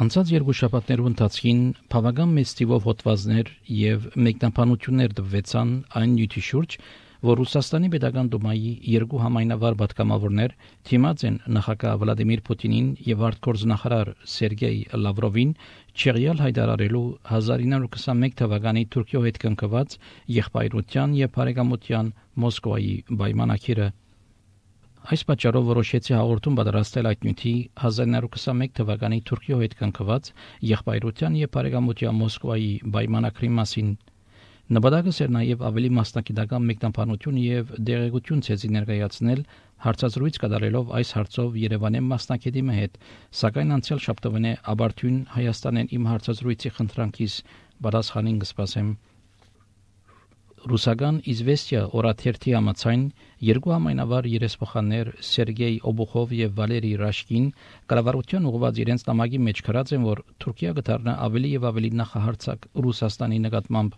Անցած երկու շաբաթներու ընթացքին բավական մեծ թիվով հոդվածներ եւ մեկնաբանություններ տվեցան այն նյութի շուրջ, որ Ռուսաստանի Պետական Դումայի երկու համայնավար պատգամավորներ թիմած են նախագահ Վլադիմիր Պուտինին եւ արտգործնախարար Սերգեյ Լավրովին չեղյալ հայտարարելու 1921 թվականի Թուրքիո հետ կնքված եղբայրության եւ բարեկամության Մոսկվայի պայմանագիրը։ Այս պատճառով որոշեցի հաղորդում պատրաստել այդ նյութի 1921 թվականի Թուրքիո հետ կնքված եղբայրության եւ բարեկամության Մոսկվայի պայմանագրի մասին։ Նպատակս էր նաեւ ավելի մասնագիտական մեկնաբանություն եւ դեղեցություն ցեզի ներկայացնել հարցազրույց կատարելով այս հարցով Երևանի մասնագետի հետ, սակայն անցյալ շաբթօրն Աբարթյուն Հայաստանեն իմ հարցազրույցի խնդրանքից պատասխանին կսպասեմ։ Ռուսական Իզվեստիա օրաթերթի համաձայն երկու համայնավար երեսփոխաններ Սերգեյ Օբուխով եւ Վալերի Ռաշկին կառավարության ուղղված իրենց նամակի մեջ գրած են, որ Թուրքիա կդառնա ավելի եւ ավելի նախահարցակ Ռուսաստանի նկատմամբ։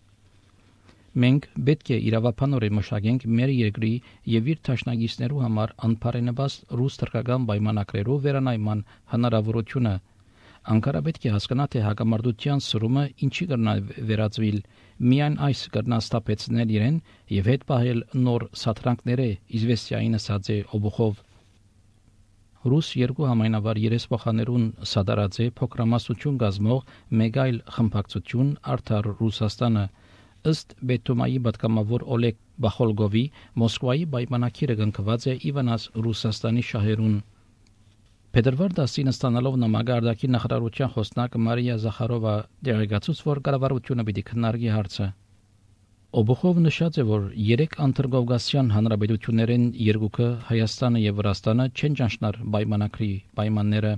Մենք պետք է իրավաբանորեն մշակենք մեր երկրի եւ իր դաշնակիցներու համար անփարենաբաստ ռուս-թուրքական պայմանագրերով վերանայման հնարավորությունը։ Անկարա պետք է հասկանա, թե հակամարտության սրումը ինչի կրնա վերածվել, միայն այս կրնա ստապեցնել իրեն եւ հետ պահել նոր սաթրանքները Իզվեստիային ասած է Օբուխով։ Ռուս երկու համայնավար երեսփոխաներուն սադարած է փոքրամասնություն գազմող մեկ այլ խմբակցություն Արդար Ռուսաստանը, ըստ Բետումայի պատգամավոր Օլեգ Բախոլգովի Մոսկվայի պայմանագիրը կնքված է Իվանաս Ռուսաստանի շահերուն։ Փետրվար 10-ին ստանալով նամակը արտաքին նախարարության խոսնակ Մարիա Զախարովա դերեկացուց, որ կառավարությունը պիտի քննարկի հարցը։ Օբուխով նշած է, որ 3 անդրկովկասյան հանրապետություններեն երկուքը Հայաստանը եւ Վրաստանը չեն ճանաչնար պայմանագրի պայմանները։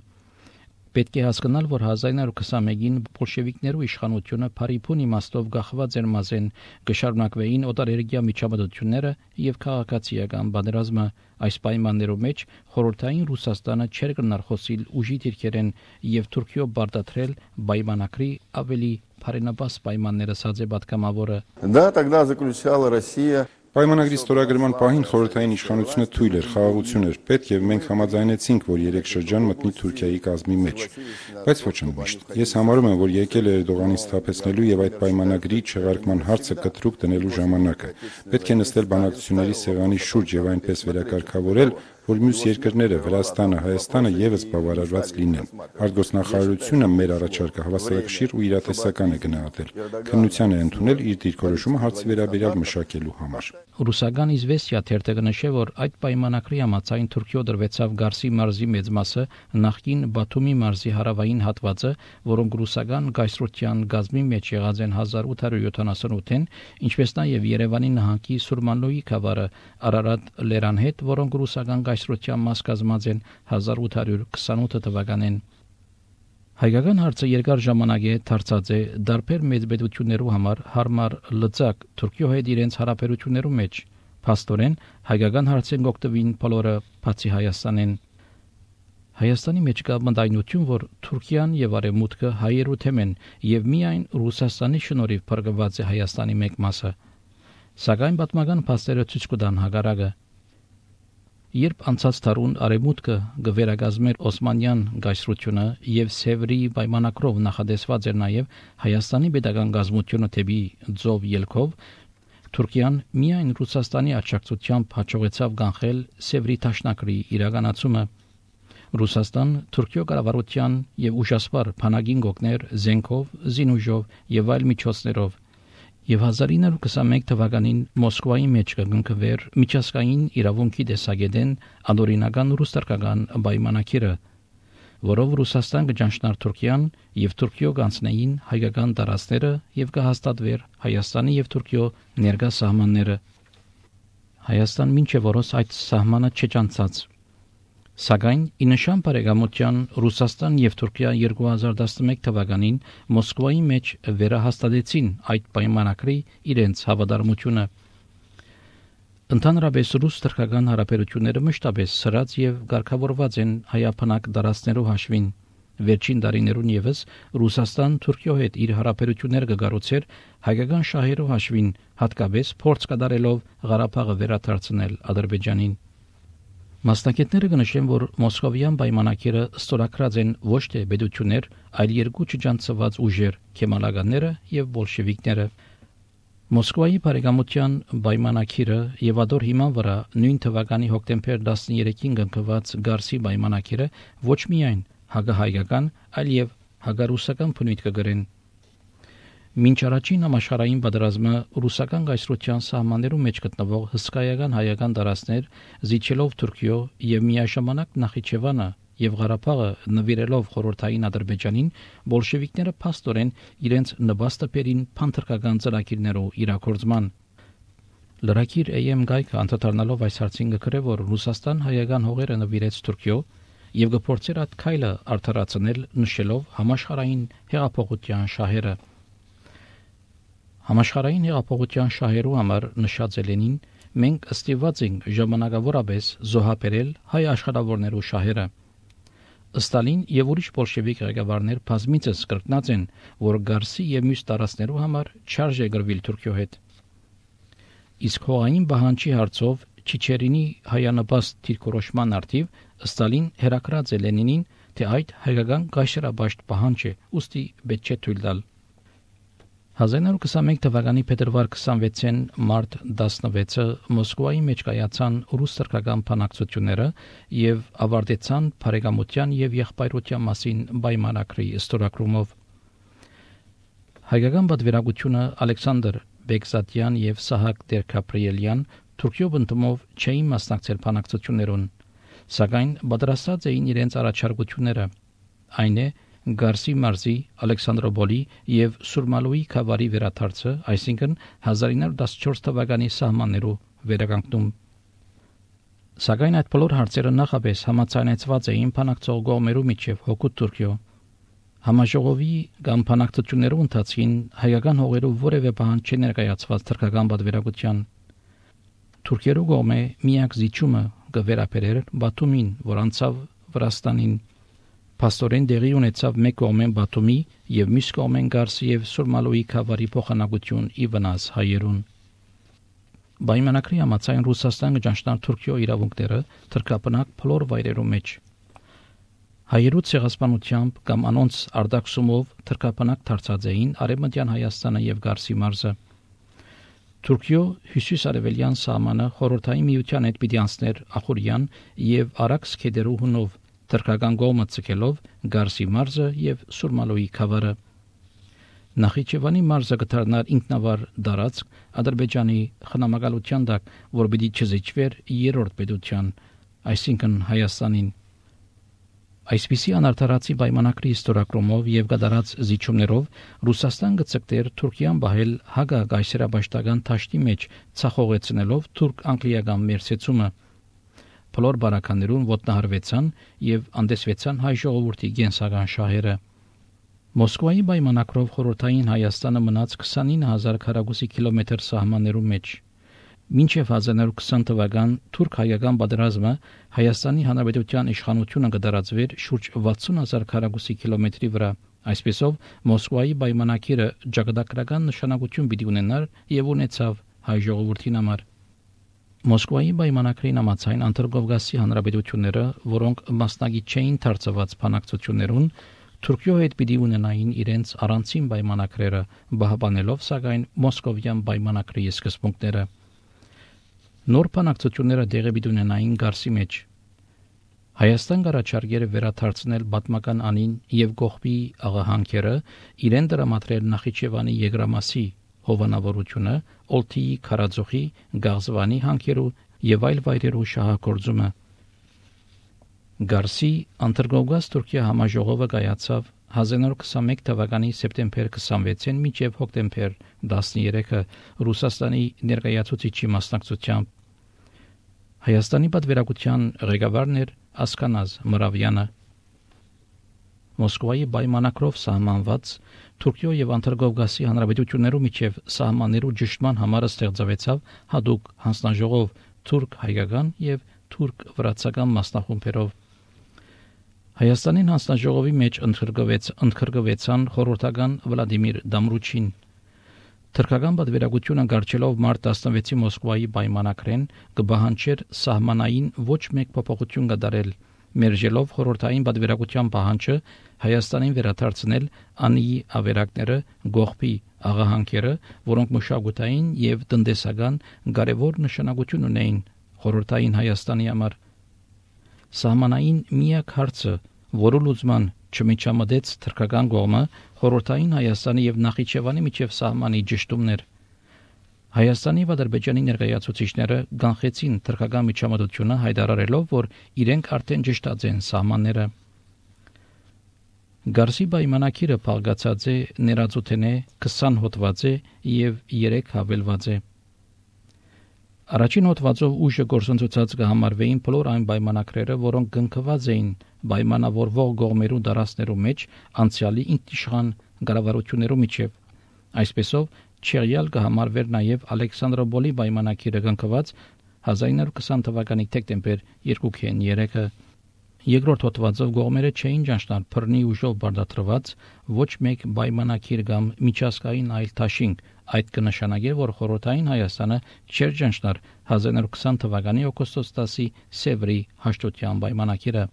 Պետք է հասկանալ, որ 1921-ին բոլշևիկներու իշխանությունը Փարիփուն իմաստով գախված էր մազեն կշարունակվեին օտարերկրյա միջամտությունները եւ քաղաքացիական պատերազմը։ Այս պայմաններով մեջ խորհրդային Ռուսաստանը չէր կրնար խոսիլ ուժի դիրքերեն եւ Թուրքիո բարտադրել պայմանագրի ավելի բարենպաստ պայմանները սածե պատգամավորը։ Да, тогда заключала Россия. Պայմանագրի ստորագրման պահին խորհրդային իշխանությունը թույլ էր, խաղաղություն էր պետք եւ մենք համաձայնեցինք, որ 3 շրջան մտնի Թուրքիայի կազմի մեջ։ Բայց ոչ միշտ։ Ես համարում եմ, որ եկել է Էրդողանին սթափեցնելու եւ այդ պայմանագրի չեղարկման հարցը կտրուկ դնելու ժամանակը։ Պետք է նստել բանակցությունների սեղանի շուրջ եւ այնպես վերակարգավորել, որ մյուս երկրները Վրաստանը, Հայաստանը եւս բավարարված լինեն։ Արտգործնախարարությունը մեր առաջարկը հավասարակշիռ ու իրատեսական է գնահատել։ Քննության է ընդունել իր դիրքորոշումը հարցի վերաբերյալ մշակելու համար։ Ռուսական Իզվեստիա թերթը կնշե, որ այդ պայմանագրի համաձայն Թուրքիո դրվեցավ Գարսի մարզի մեծ մասը, նախկին Բաթումի մարզի հարավային հատվածը, որոնք ռուսական գայսրության գազմի մեջ եղած են 1878-ին, ինչպես նաև Երևանի նահանգի Սուրմանլոյի գավառը Արարատ լերան հետ, որոնք ռուսական գայսրության մաս կազմած են 1828 թվականին։ Հայկական հարցը երկար ժամանակ է դարձած է դարբեր մեծ պետություններու համար հարմար լծակ Թուրքիո հետ իրենց հարաբերություններու մեջ։ Փաստորեն հայկական հարցեն գոկտվին բոլորը բացի Հայաստանեն։ Հայաստանի մեջ կա մտայնություն, որ Թուրքիան եւ Արևմուտքը հայերու թեմ են եւ միայն Ռուսաստանի շնորհիվ փրկված է Հայաստանի մեկ մասը։ Սակայն պատմական փաստերը ցույց կտան հակառակը։ Երբ անցած տարուն Արևմուտքը գվերագազմեր Օսմանյան գայսրությունը եւ Սևրի պայմանագրով նախադեсված էր նաեւ Հայաստանի պետական գազმությունը թեպի ձով ելքով, Թուրքիան միայն Ռուսաստանի աջակցությամբ հաջողեցավ կանխել Սևրի դաշնակրի իրականացումը։ Ռուսաստան Թուրքիո կառավարության եւ ուժասպար բանակին գոգներ զենքով, զինուժով եւ այլ միջոցներով եւ 1921 թվականին Մոսկվայի մեջ կգնքվեր միջազգային իրավունքի տեսակետեն անօրինական ռուս-թուրքական պայմանագիրը, որով Ռուսաստան կճանչնար Թուրքիան եւ Թուրքիո կանցնեին հայկական տարածքները եւ կհաստատվեր Հայաստանի եւ Թուրքիո ներկա սահմանները։ Հայաստան մինչեւ որոս այդ սահմանը չճանցած։ Սակայն ի նշան բարեկամության Ռուսաստան եւ Թուրքիա 2011 թվականին Մոսկվայի մեջ վերահաստատեցին այդ պայմանագրի իրենց հավատարմությունը։ Ընդհանրապես ռուս-թուրքական հարաբերությունները մշտապես սրած եւ ղեկավարված են հայապանակ դարաշներով հաշվին։ Վերջին տարիներուն եւս Ռուսաստան Թուրքիո հետ իր հարաբերությունները կգառուցեր հայկական շահերով հաշվին, հատկապես փորձ կատարելով Ղարաբաղը վերադարձնել Ադրբեջանին։ Մասնակիցները կնշեն, որ Մոսկովյան պայմանագիրը ստորագրած են ոչ թե պետություններ, այլ երկու չջանցված ուժեր՝ քեմալականները եւ բոլշևիկները։ Մոսկվայի բարեկամության պայմանագիրը եւ ադոր հիման վրա նույն թվականի հոկտեմբեր 13-ին կնքված Գարսի պայմանագիրը ոչ միայն հակահայկական, այլ եւ հակառուսական բնույթ կգրեն։ Մինչ առաջին համաշխարհային պատերազմը ռուսական գայսրության սահմաններում մեջ գտնվող հսկայական հայական տարածքներ զիջելով Թուրքիո եւ միաժամանակ Նախիջևանը եւ Ղարաբաղը նվիրելով խորհրդային Ադրբեջանին, բոլշևիկները փաստորեն իրենց նպաստը բերին փանթրկական ծրագիրներով իրագործման։ Լրակիր AM գայքը անդրադառնալով այս հարցին գրել, որ Ռուսաստան հայական հողերը նվիրեց Թուրքիո եւ գործեր այդ քայլը արդարացնել, նշելով համաշխարհային հեղափոխության շահերը։ Համաշխարհային հեղափոխության շահերու համար նշած Լենին, մենք ըստիված ենք ժամանակավորապես զոհաբերել հայ աշխատավորներու շահերը։ Ստալին եւ ուրիշ բոլշևիկ ղեկավարներ բազմիցս կրկնած են, որ Գարսի եւ մյուս տարածքներու համար չարժե գրվել Թուրքիո հետ։ Իսկ հողային բանջի հարցով Չիչերինի հայանպաստ դիրքորոշման արդիվ Ստալին հերակրած է Լենինին, թե այդ հայկական գայշերաբաշտ պահանջ է, ուստի պետք չէ թույլ տալ։ 1921 թվականի փետրվար 26-ին մարտ 16-ը Մոսկվայի մեջ կայացան ռուս-թուրքական բանակցությունները եւ ավարտեցան բարեկամության եւ եղբայրության մասին պայմանագրի ստորագրումով։ Հայկական պատվիրակությունը Ալեքսանդր Բեգզատյան եւ Սահակ Դերկապրիելյան Թուրքիո բնդումով չէին մասնակցել բանակցություններուն, սակայն պատրաստած էին իրենց առաջարկությունները, այն է Գարսի մարզի, Ալեքսանդրոպոլի եւ Սուրմալոյի խավարի վերադարձը, այսինքն 1914 թվականի սահմաններով վերականգնում։ Սակայն այդ բոլոր հարցերը նախապես համաձայնեցված էին բանակցող կողմերու միջև հօգուտ Թուրքիո։ Համաժողովի կամ բանակցություններու ընթացքին հայկական հողերով որևէ պահանջ չներկայացված թուրքական պատվիրակության։ Թուրքերու կողմը միակ զիջումը կվերապերեր Բաթումին, որ անցավ Վրաստանին։ Փաստորեն դեղի ունեցավ մեկ կողմեն Բաթումի եւ մյուս կողմեն Գարսի եւ Սուրմալոյի խավարի փոխանակություն ի վնաս հայերուն։ Պայմանագրի համաձայն Ռուսաստանը ճանաչnar Թուրքիո իրավունքները թրկապնակ բոլոր վայրերու մեջ։ Հայերու ցեղասպանությամբ կամ անոնց արտաքսումով թրկապնակ դարձած էին Արևմտյան Հայաստանը եւ Գարսի մարզը։ Թուրքիո հյուսիս-արևելյան սահմանը խորհրդային միության հետ պիտի անցներ Ախուրյան եւ Արաքս քեդերու հունով թրկական կողմը ցկելով Գարսի մարզը եւ Սուրմալոյի խավարը։ Նախիջևանի մարզը կդառնար ինքնավար դարածք Ադրբեջանի խնամակալության տակ, որ պիտի չզիջվեր երրորդ պետության, այսինքն Հայաստանին։ Այսպիսի անարդարացի պայմանագրի ստորագրումով եւ կատարած զիջումներով Ռուսաստան կցկտեր Թուրքիան բահել հակագայսերաբաշտական թաշտի մեջ ցախողեցնելով թուրք-անգլիական մերսեցումը։ Բոլոր բարականներուն ոտնահարվեցան եւ անդեսվեցան հայ ժողովրդի գենսական շահերը։ Մոսկվայի պայմանագրով խորհրդային Հայաստանը մնաց 29000 քառակուսի կիլոմետր սահմաններու մեջ։ Մինչև 1920 թվական թուրք-հայկական պատերազմը Հայաստանի Հանրապետության իշխանությունը կդարածվեր շուրջ 60000 քառակուսի կիլոմետրի վրա։ Այսպեսով Մոսկվայի պայմանագիրը ճակատագրական նշանակություն պիտի ունենար եւ ունեցավ հայ ժողովրդին համար։ Մոսկվայի պայմանագրին համաձայն Անդրկովկասի հանրապետությունները, որոնք մասնակից չէին դարձված բանակցություններուն, Թուրքիո հետ պիտի ունենային իրենց առանցին պայմանագրերը, բահբանելով սակայն Մոսկովյան պայմանագրի սկզբունքները։ Նոր բանակցությունները տեղի պիտի ունենային Գարսի մեջ։ Հայաստան կառաջարկեր վերադարձնել պատմական անին եւ Գողբի աղահանքերը, իրեն դրամատրել Նախիջևանի Եգրամասի հովանավորությունը, Օլթիի քարաձողի, Գաղզվանի հանքերու եւ այլ վայրերու շահագործումը։ Գարսի Անդրկովկաս Թուրքիա համաժողովը կայացավ 1921 թվականի սեպտեմբեր 26-ին մինչև հոկտեմբեր 13-ը Ռուսաստանի ներկայացուցիչի մասնակցությամբ։ Հայաստանի պատվիրակության ղեկավարն էր Ասկանազ Մրավյանը։ Մոսկվայի պայմանագրով սահմանված Թուրքիո եւ Անդրկովկասի հանրապետություններու միջև սահմաններու ճշտման համար ստեղծվեցավ հadoop հանձնաժողով թուրք-հայկական եւ թուրք-վրացական մասնախումբերով։ Հայաստանին հանձնաժողովի մեջ ընդգրկվեցան խորհրդական Վլադիմիր Դամրուչին, Թրքական պատվիրակությունը գարչելով մարտ 16-ի Մոսկվայի պայմանակրեն կբահանջեր սահմանային ոչ մեկ փոփոխություն կդարել, մերժելով խորհրդային պատվիրակության պահանջը Հայաստանին վերադարձնել անիի ավերակները, գողփի աղահանքերը, որոնք մշակութային եւ տնտեսական կարևոր նշանակություն ունեին խորհրդային Հայաստանի համար։ Սահմանային միակ հարցը, որը լուծման չմիջամտեց թրքական կողմը, խորհրդային Հայաստանի եւ Նախիջևանի միջև սահմանի ճշտումներ։ Հայաստանի եւ Ադրբեջանի ներկայացուցիչները կանխեցին թրքական միջամտությունը հայտարարելով, որ իրենք արդեն ճշտած են սահմանները։ Գարսի պայմանակիրը փաղկացած է ներածութենե 20 հոդված է եւ 3 հավելված է։ Առաջին հոդվածով ուժը գործընծուցած կհամարվեին բոլոր այն պայմանակրերը, որոնք կնքված էին պայմանավորվող կողմերու դարասներու մեջ անցյալի ինքնիշխան կառավարություններու միջև։ Այսպեսով Չեղյալ կհամարվեր նաև Ալեքսանդրոպոլի պայմանակիրը կնքված 1920 թվականի դեկտեմբեր 2-3-ը։ Երկրորդ հոդվածով կողմերը չէին ճանչնալ բռնի ուժով բարդատրված ոչ մեկ պայմանակիր կամ միջազգային այլ դաշինք, այդ կնշանակեր, որ խորհրդային Հայաստանը չէր ճանչնար 1920 թվականի օգոստոս 10-ի Սևրի հաշտության պայմանակիրը։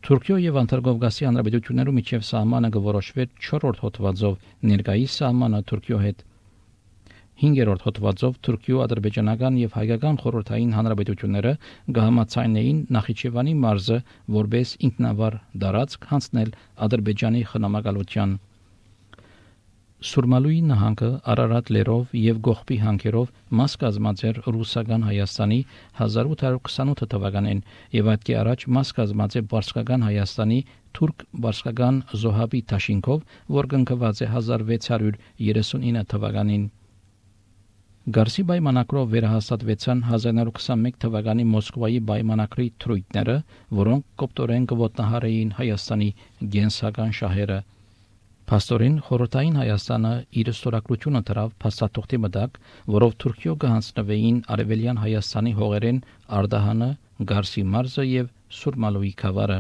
Թուրքիո եւ Անտարգովկասի հանրապետություններու միջև սահմանը կորոշվեր 4-րդ հոդվածով ներկայիս սահմանը Թուրքիո հետ։ 5-րդ հոդվածով Թուրքիո ադրբեջանական եւ հայկական խորհրդային հանրապետությունները կհամաձայնեին Նախիջևանի մարզը որպես ինքնավար դարածք հանձնել Ադրբեջանի խնամակալության։ Սուրմալուի նահանգը Արարատ լերով եւ Գողփի հանքերով մաս կազմած էր ռուսական Հայաստանի 1828 թվականին եւ այդ առաջ մաս կազմած է Բարսկական Հայաստանի թուրք Բարսկական Զոհաբի դաշինքով, որ կնքված է 1639 թվականին։ Գարսի պայմանակրով վերահաստատվեցան 1921 թվականի Մոսկվայի պայմանակրի թրույթները, որոնք կոպտորեն կոտնահարեին Հայաստանի գենսական շահերը։ Փաստորեն խորհրդային Հայաստանը իր ստորագրությունը դրավ փաստաթղթի մտակ, որով Թուրքիո կհանձնվեին արևելյան Հայաստանի հողերեն Արդահանը, Գարսի մարզը եւ Սուրմալուի քավառը։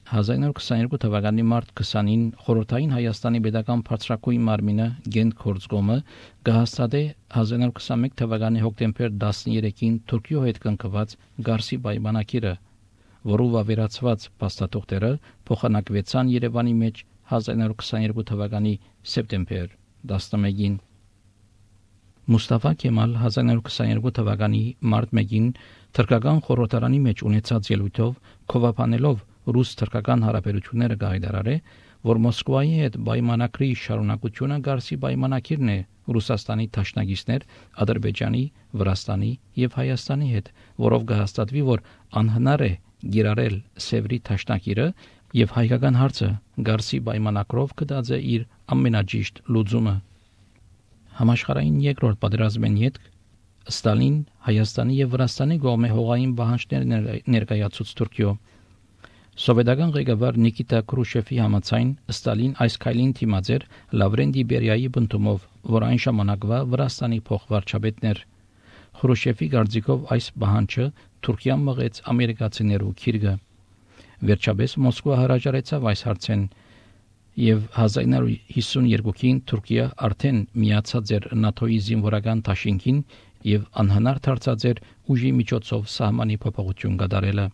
1922 թվականի մարտ 20-ին խորհրդային Հայաստանի պետական բարձրակույն մարմինը Գենտքորձկոմը կհաստատե 1921 թվականի հոկտեմբեր 13-ին Թուրքիո հետ կնքված Գարսի պայմանակիրը, որով ավերացված փաստաթղթերը փոխանակվեցան Երևանի մեջ 1922 թվականի սեպտեմբեր 11-ին։ Մուստաֆա Կեմալ 1922 թվականի մարտ 1-ին թրքական խորհրդարանի մեջ ունեցած ելույթով քովապանելով ռուս-թրքական հարաբերությունները գայդարարե, որ Մոսկվայի հետ պայմանակրի շարունակությունը Գարսի պայմանակիրն է Ռուսաստանի դաշնակիցներ Ադրբեջանի, Վրաստանի եւ Հայաստանի հետ, որով կհաստատվի, որ անհնար է գիրառել Սևրի դաշնակիրը եւ հայկական հարցը Գարսի պայմանակրով կդած է իր ամենաճիշտ լուծումը։ Համաշխարհային երկրորդ պատերազմեն յետք Ստալին Հայաստանի եւ Վրաստանի կողմէ հողային պահանջներ ներկայացուց Թուրքիո։ Սովետական ղեկավար Նիկիտա Քրուշչևի համաձայն Ստալին այս քայլին դիմաց էր Լավրենտի Բերիայի բնտումով, որ այն ժամանակվա Վրաստանի փոխվարչապետն էր։ Քրուշչևի կարծիքով այս պահանջը Թուրքիան մղեց ամերիկացիներու քիրգը։ Վերջապես Մոսկվա հրաժարեցավ այս հարցեն եւ 1952-ին Թուրքիա արդեն միացած էր ՆԱԹՕ-ի զինվորական դաշինքին եւ անհնար դարձած էր ուժի միջոցով սահմանի փոփոխություն կատարելը։